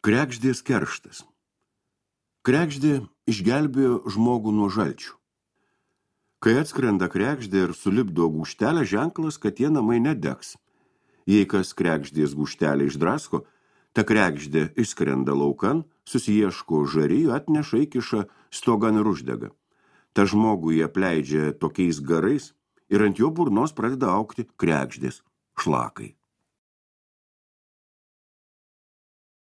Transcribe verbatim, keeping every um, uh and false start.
Kregždės kerštas. Kregždė išgelbėjo žmogų nuo žalčių. Kai atskrenda kregždė ir sulipdo gūžtelę, ženklas, kad tie namai nedegs. Jei kas kregždės gūžtelę išdrasko, ta kregždė išskrenda laukan, susiieško žarijų, atneša, įkiša stogan ir uždega. Ta žmogų jie apleidžia tokiais garais ir ant jo burnos pradeda augti kregždės šlakai.